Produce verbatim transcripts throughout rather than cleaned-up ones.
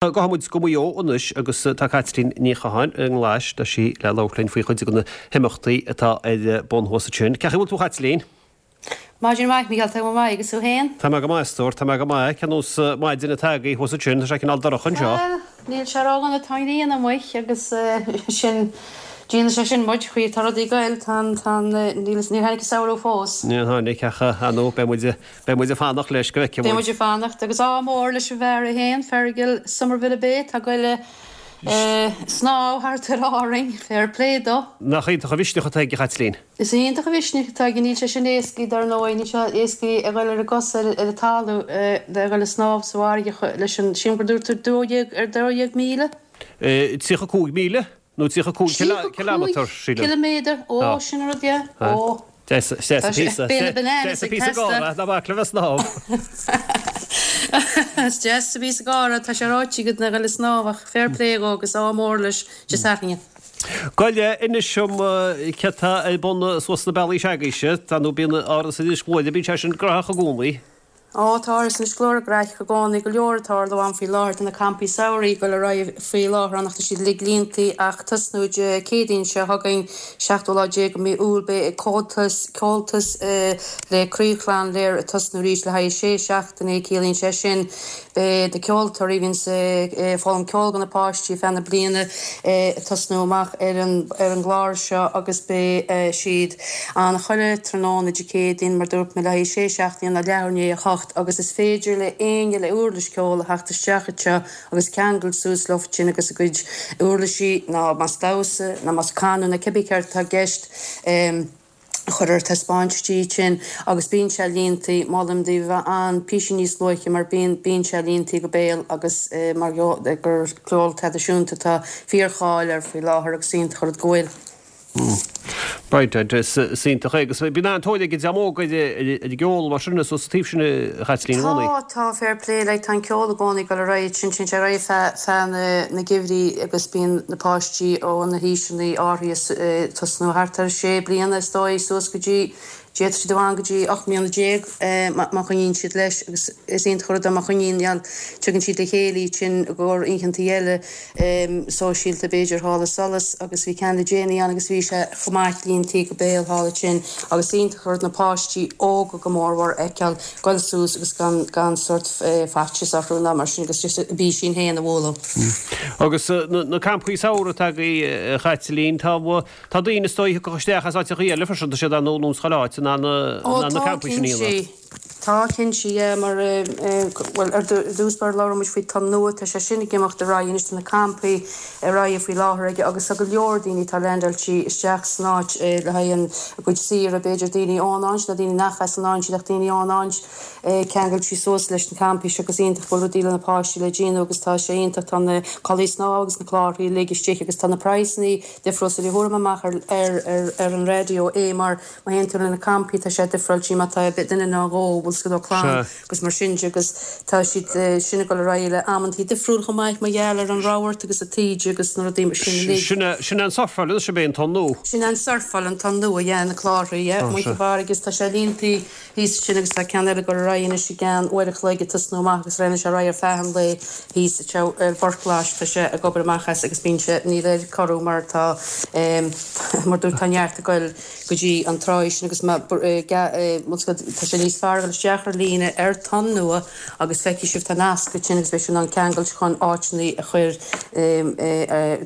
Gabhfaidh muid go Maigh Eo anois agus tá Caitlín Ní Chatháin i nGlais, tá sí le labhairt linn faoi chuid de na himeachtaí atá ar bun thuas ansin. Cén chaoi a bhfuil tú a Chaitlín? Maidin mhaith, Mícheál, tá mé go maith, agus tú féin? Tá mé go maith, a stór, tá mé go maith. Cén nós maidin atá agaibh thuas ansin? Tá sé cineál dorcha anseo. Bhuel, níl sé ródhona, tá an ghrian amuigh agus sin, déanann sé sin muid, chaoi atá rudaí ag goil, tá an, tá an, níl, níor tháinig an samhradh fós. Níor tháinig ach, ar ndóigh, beidh muid, beidh muid ag fanacht leis go bhfeicfidh Beidh muid. muid ag fanacht agus ádh mór leis an bhfear é féin, Fergal Somerville ab é, tá ag goil ag snámh thart ar Árainn, fair play dó. Nach iontach an mhisneach atá aige, a Chaitlín? Is iontach an mhisneach atá aige, níl sé sin éascaí dar ndóigh, níl sé éascaí a dhul ar a gcosa ar an talamh le dhul ag snámh sa bhfarraige leis an, sílim gur dúirt tú dó dhéag, ar dó dhéag míle? Tríocha cúig míle, nó tríocha cúig Tríocha cileámetar, cúig sílim. ciliméadar, ó, sin an rud, yeah, ó. Deas Tá sé, píosa, beidh na bananas deas ag píosa teastáil. gáire, ná bac le bheith snámh. Is deas a píosa gáire, tá sé ráite agat ná dhul ag snámh ach fair play dhó agus ádh mór leis Dé Sathairn. Gabh i leith, inis dom céard tá ar bun suas sna bealaí s'agaibhse, tá nó bíonn Áras Inis Gluaire, bíonn sé sin graitheach i gcónaí. Ó, tá Áras Inis Gluaire graitheach i gcónaí, go leor ag tarlú ann faoi láthair, tá na campaí samhraidh ag dul ar aghaidh faoi láthair ann ach tá siad uilig líontaí ach tosnú Dé Céadaoin seo chugainn, seachtú lá déag de mhí Iúil, beidh Comhaltas, Comhaltas le Croí Chlann Lir ag tosnú arís le haghaidh sé seachtainí, ciallaíonn sé sin beidh na ceoltóirí a bhíonns ag foghlaim ceoil do na páistí feadh na bliana ag tosnú amach ar an ar an gclár seo agus beidh siad ann chuile tráthnóna Dé Céadaoin mar dúirt mé le haghaidh sé seachtainí ó leathuair i ndiaidh a hocht agus is féidir le éinne le uirlis ceoil a theacht isteach anseo agus ceangal suas leo sin agus a gcuid uirlisí ná más damhsa ná más canadh ná cibé céard atá i gceist a chur ar taispeáint istigh ansin agus bíonn sé líontaí, molaim daoibh a bheith ann píosa níos luaithe mar bíonn bíonn sé líontaí go béal agus mar gur ceol traidisiúnta atá fíorcháil air faoi láthair agus iontach an rud go bhfuil. Right, is iontach é agus bíonn an-tóir ag an dream óg ar an gceol mar sin is sa taobh sin a Chaitlín i gcónaí. Tá, tá, fair play, like tá an ceol i gcónaí ag dul ar aghaidh sin, téann sé ar aghaidh feadh, feadh na, na geimhrí agus bíonn na páistí ó na haoiseanna áirithe ag tosnú thart ar sé bliana is dóigh suas go dtí, d'fhéadfadh siad a bheith ann go dtí ocht mbliana déag má choinníonn siad leis agus is iontach an rud é má choinníonn, yeah, tugann siad le chéile iad sin i gcomhair oícheantaí eile sóisialta b'fhéidir thall i Solas agus bhí ceann le déanaí ann agus bhí sé chomh maith líontaí go béal thall ansin agus iontach an rud na páistí óga go mórmhór a fheiceáil goil suas agus gan gan sórt faitíos orthu ná mar sin agus just a bpísín féin a bhualadh. Agus na campaí samhraidh atá agaibh a Chaitlín, tá tá daoine is dóigh a thiocfadh isteach as áiteachaí eile freisin, tá siad ann ón chuile áit in ann Ó na tá campaí sin a cinnte. dhéanamh. Tá cinnte, yeah, mar bhuel ar dtús báire labhair muid faoi Tonn Nua, tá sé sin ag imeacht ar aghaidh anois, tá na campaí ar aghaidh faoi láthair aige agus tá go leor daoine atá leaindeáilte isteach san áit le haghaidh an a gcuid saoire, b'fhéidir daoine ón áit nó daoine nach as an áit iad ach daoine ón áit ceangailte suas leis na campaí seo agus iontach go bhfuil rudaí le na páistí le déanamh agus tá sé iontach, tá na culaith snámha agus na clárthaí uilig istigh agus tá na praghsanna difriúil so ní thabharfaidh mé amach ar ar ar ar an raidió é mar má théann tú le na campaí tá sé difriúil má tá duine nó dhó bhfuil siad ó clann agus mar sin de agus tá siad sin ag dul ar aghaidh le amantaí difriúil chomh maith mar gheall ar an rabharta agus an taoide agus na rudaí mar sin uilig. Sin é sin é an surfáil anois ab é an tonn nua. Sin é an surfáil an tonn nua yeah na clárthaí yeah amuigh sa bhfarraige agus tá sé líontaí thíos ansin agus tá ceann eile ag dul ar aghaidh anois i gceann uair a chloig ag tosnú amach agus leanann sé ar aghaidh ar feadh an lae thíos anseo ar Phort Ghlais tá sé ag obair amach as agus bíonn sé níl air corrú mar tá mar dúirt tá neart ag goil go dtí an tráigh sin agus má tá sé níos fearr dul isteach ar líne ar Tonn Nua agus feicfidh sibh tá nasc ansin agus beidh sibh in ann ceangailt chun áiteanna a chur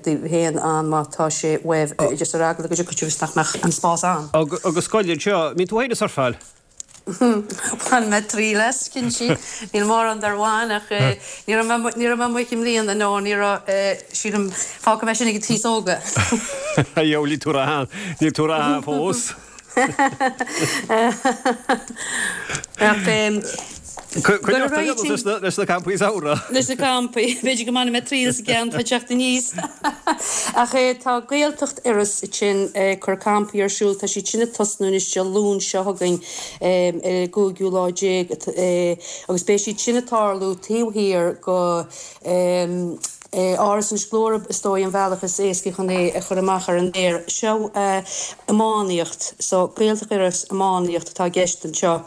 daoibh féin ann má tá sé uaibh just ar eagla go dtiocfaidh sibh is nach mbeadh an spás ann. Agus gabh i leith anseo, an mbíonn tú féin ag surfáil? Bhain mé triail as, cinnte. Níl mórán dár bhain ach ní raibh mé ní raibh mé amuigh i mbliana, no, ní raibh, sílim, fágfaidh mé sin ag an t-aos óga. Dheabhail, níl tú ró níl tú ró fós. Ach Coinneoidh tú leis na leis na campaí samhraidh. Leis na campaí, b'fhéidir go mbainfidh mé triail as an gceann atá ag teacht aníos. Ach tá Gaeltacht Iorrais ansin ag cur campaí ar siúl, tá siad sin ag tosnú anois Dé Luain seo chugainn ar an gcúigiú lá déag agus beidh siad sin ag tarlú taobh thiar go Áras Inis Gluaire is dóigh an bhealach is éascaí chun é a chur amach ar an aer. Seo iománaíocht, so Gaeltacht Iorrais iománaíocht atá i gceist anseo.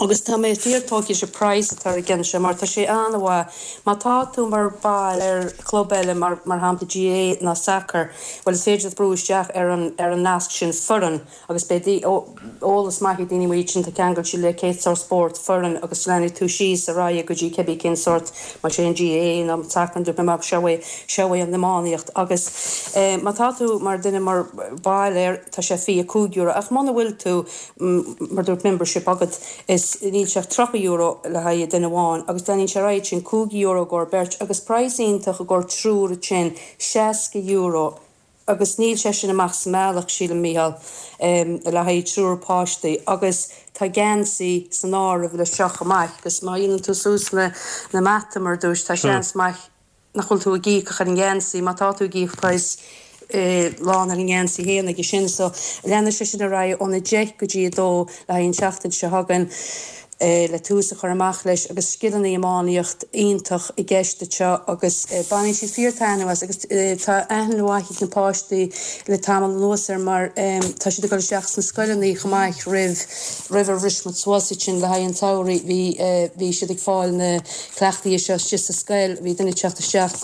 Agus tá mé fíortógtha leis an praghas atá ar an gceann seo mar tá sé an-mhaith. Má tá tú mar ball ar chlub eile, mar mar shampla GAA ná sacar, bhuel is féidir leat brú isteach ar an ar an nasc sin foireann agus beidh eolas maith ag daoine amuigh ansin, tá ceangailte le cén sórt spórt, foireann agus leanfaidh tú síos ar aghaidh go dtí cibé cén sórt, más é an GAA nó sacar nó mar seo é seo é an iománaíocht agus má tá tú mar duine mar ball air tá sé fiche cúig euro ach muna bhfuil tú mar dúirt membership agat is níl sé ach tríocha euro le haghaidh duine amháin agus leanann sé ar aghaidh sin cúig euro i gcomhair beirt agus praghas iontach i gcomhair triúr ansin seasca euro agus níl sé sin amach sa mbealach sílim Mícheál le haghaidh triúr páistí agus tá geansaí san áireamh leis seo chomh maith agus má dhéanann tú suas na na mata mar dúirt tá seans maith nach bhfuil tú ag íoc ach ar an ngeansaí, má tá tú ag íoc praghas lán ar an ngeansaí féin aige sin. So leanfaidh sé sin ar aghaidh ón a deich go dtí a dó le haghaidh an tseachtain seo chugainn le tús a chur amach leis agus scileanna iománaíocht iontach i gceist anseo agus baineann siad fíor taitneamh as agus tá aithne mhaith ag na páistí le tamall anuas air mar tá siad ag dul isteach sna scoileanna chomh maith roimh roimh ar bhris muid suas ansin le haghaidh an tsamhraidh bhí bhí siad ag fáil na cleachtaí seo istigh sa scoil, bhí duine ag teacht isteach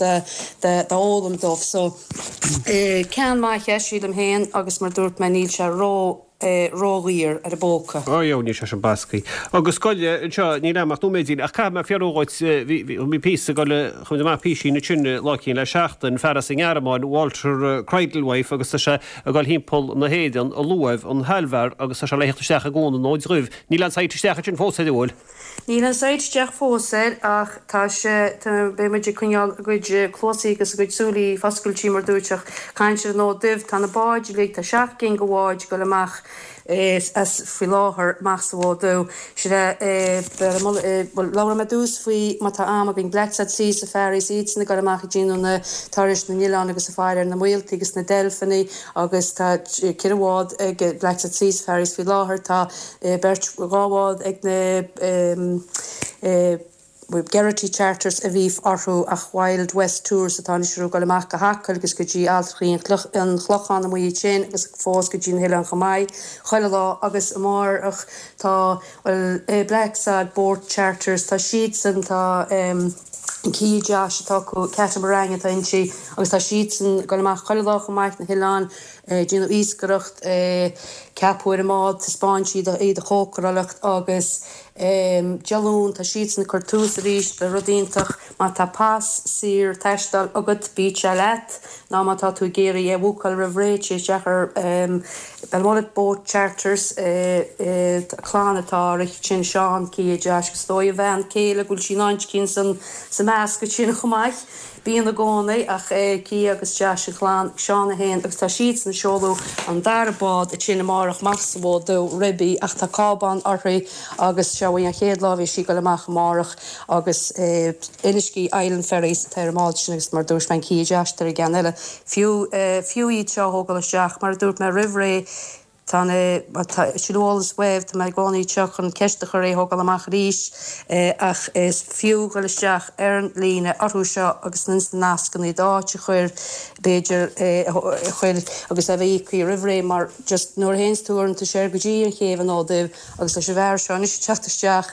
d'fhoghlaim dóibh. So ceann maith é sílim féin agus mar dúirt mé níl sé ró ródhaor ar an bpóca. Ó yeah, níl sé sin bascaí. Agus scoile anseo níl a'm ach nóiméidín ach caithfidh mé fiafraí dhuit bhí bhí píosa ag dul chuaigh amach písín ansin lá eicínt le seachtain, fear as an nGearmáin, Walter Cradlewife agus tá sé ag dul thimpeall na hÉireann ag luamh an Halvar agus tá sé le theacht isteach i gCuan an Fhóid Dhuibh. Níl an site isteach ansin fós air an bhfuil? Níl an site isteach fós air ach tá sé, tá, beidh muid ag coinneáil a gcuid cluasaí agus a gcuid súilí foscailte mar dúirt ach caint ar an Fhód Dubh, tá na báid uilig, tá seacht gcinn de bháid ag dul amach as faoi láthair amach sa bhFód Dubh. Sin é, bhuel labhróidh mé ar dtús faoi má tá am againn, Blacksod Sea Safaris, iadsan ag dul amach ag déanamh na turais na n-oileán agus ag faire ar na míoltaí agus na deilfeanna agus tá ceithre bhád ag Blacksod Sea Safaris faoi láthair, tá beirt, dhá bhád ag na Geraghty Charters a bhí orthu ach Wild West Tours atá anois orthu ag dul amach go hAcaill agus go dtí Alltrachaí an Chlocháin amuigh ansin agus fós go dtí na hoileáin chomh maith chuile lá agus amárach tá bhuel Blacksod Boat Charters tá siadsan tá Kia Josh atá acu Catamaran atá inti agus tá siadsan ag dul amach chuile lá chomh maith na hoileáin déanamh iascaireacht, ceapadh ar an mbád, taispeáin siad iad a chócaráileacht agus Dé Luain tá siadsan ag cur tús arís le rud iontach, má tá pas saor taisteal agat bíodh sé leat nó má tá tú ag iarraidh é a bhúcáil roimh ré téigh isteach ar Belmullet Boat Charters, clann atá á rith sin, Seán, Kia, Josh agus is dóigh a bhean céile go bhfuil sí in áit eicínt sa measc sin chomh maith. Bíonn i gcónaí, ach Kia agus Josh an chlann, Seán é féin agus tá siadsan ag seoladh an dara bád ansin amárach amach sa bhFód Dubh, Ribby, ach tá cábán uirthi agus seo í an chéad lá a bheidh sí ag dul amach amárach agus Inishkea Island Ferries atá ar an mbád sin agus mar a dúirt mé an Kia Josh atá ar an gceann eile. Fiú, fiú iad seo a thógáil isteach, mar a dúirt mé roimh ré, Tá na, tá sin eolas uaibh, tá mé i gcónaí anseo chun ceist a chur é thógáil amach arís ach is fiú dhul isteach ar an líne orthu seo agus ins na nascanna d'áit a chur b'fhéidir a chur agus é bheith íoctha roimh ré mar just nuair a théanns tú uaireanta soir go dtí an chéibh an Fhóid Duibh agus leis an bhfear seo anois ag teacht isteach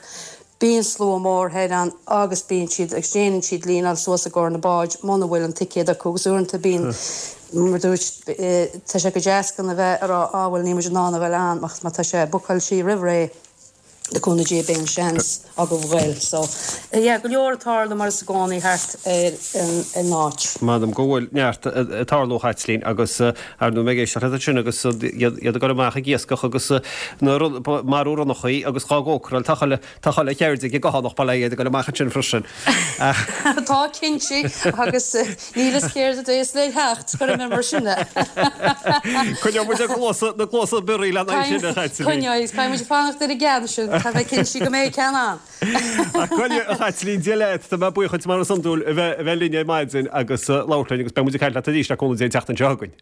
Bíonn slua mór thoir ann agus bíonn siad agus déanann siad líneáil suas i gcomhair na báid muna bhfuil an ticéad acu agus uaireanta bíonn mar dúirt tá sé go deas gan a bheith a rá á bhuel níl muid in ann a bheith ann ach má tá sé bookáilte roimh ré le cúnamh Dé beidh an seans agaibh ghoil so yeah go leor ag tarlú mar is i gcónaí thart ar an áit. M'anam go bhfuil neart ag tarlú a Chaitlín agus ar ndóigh mé ag éisteacht leat ansin agus iad ag dul amach ag iascach agus na marú ronnachaí agus dhá gcócaráil tá chuile Tá chuile cheird ag an gCathánach bail ó Dhia air ag dul amach ansin freisin. Tá, cinnte, agus níl fhios céard a bheas le theacht, cuirfidh mé mar sin é. Coinneoidh muid na cluasa, na cluasa bioraí lena aghaidh sin, a Chaitlín. Coinneoidh, caithfidh muid fanacht ar an gceann sin, caithfidh mé cinntiú go mbeidh ceann ann. Ach gabh i leith, a Chaitlín, Dia leat, tá mé buíoch duit mar is iondúil a bheith, a bheith linn ar maidin agus labhairt linn agus beidh muid ag caint leat arís le cúnamh Dé an tseachtain seo chugainn.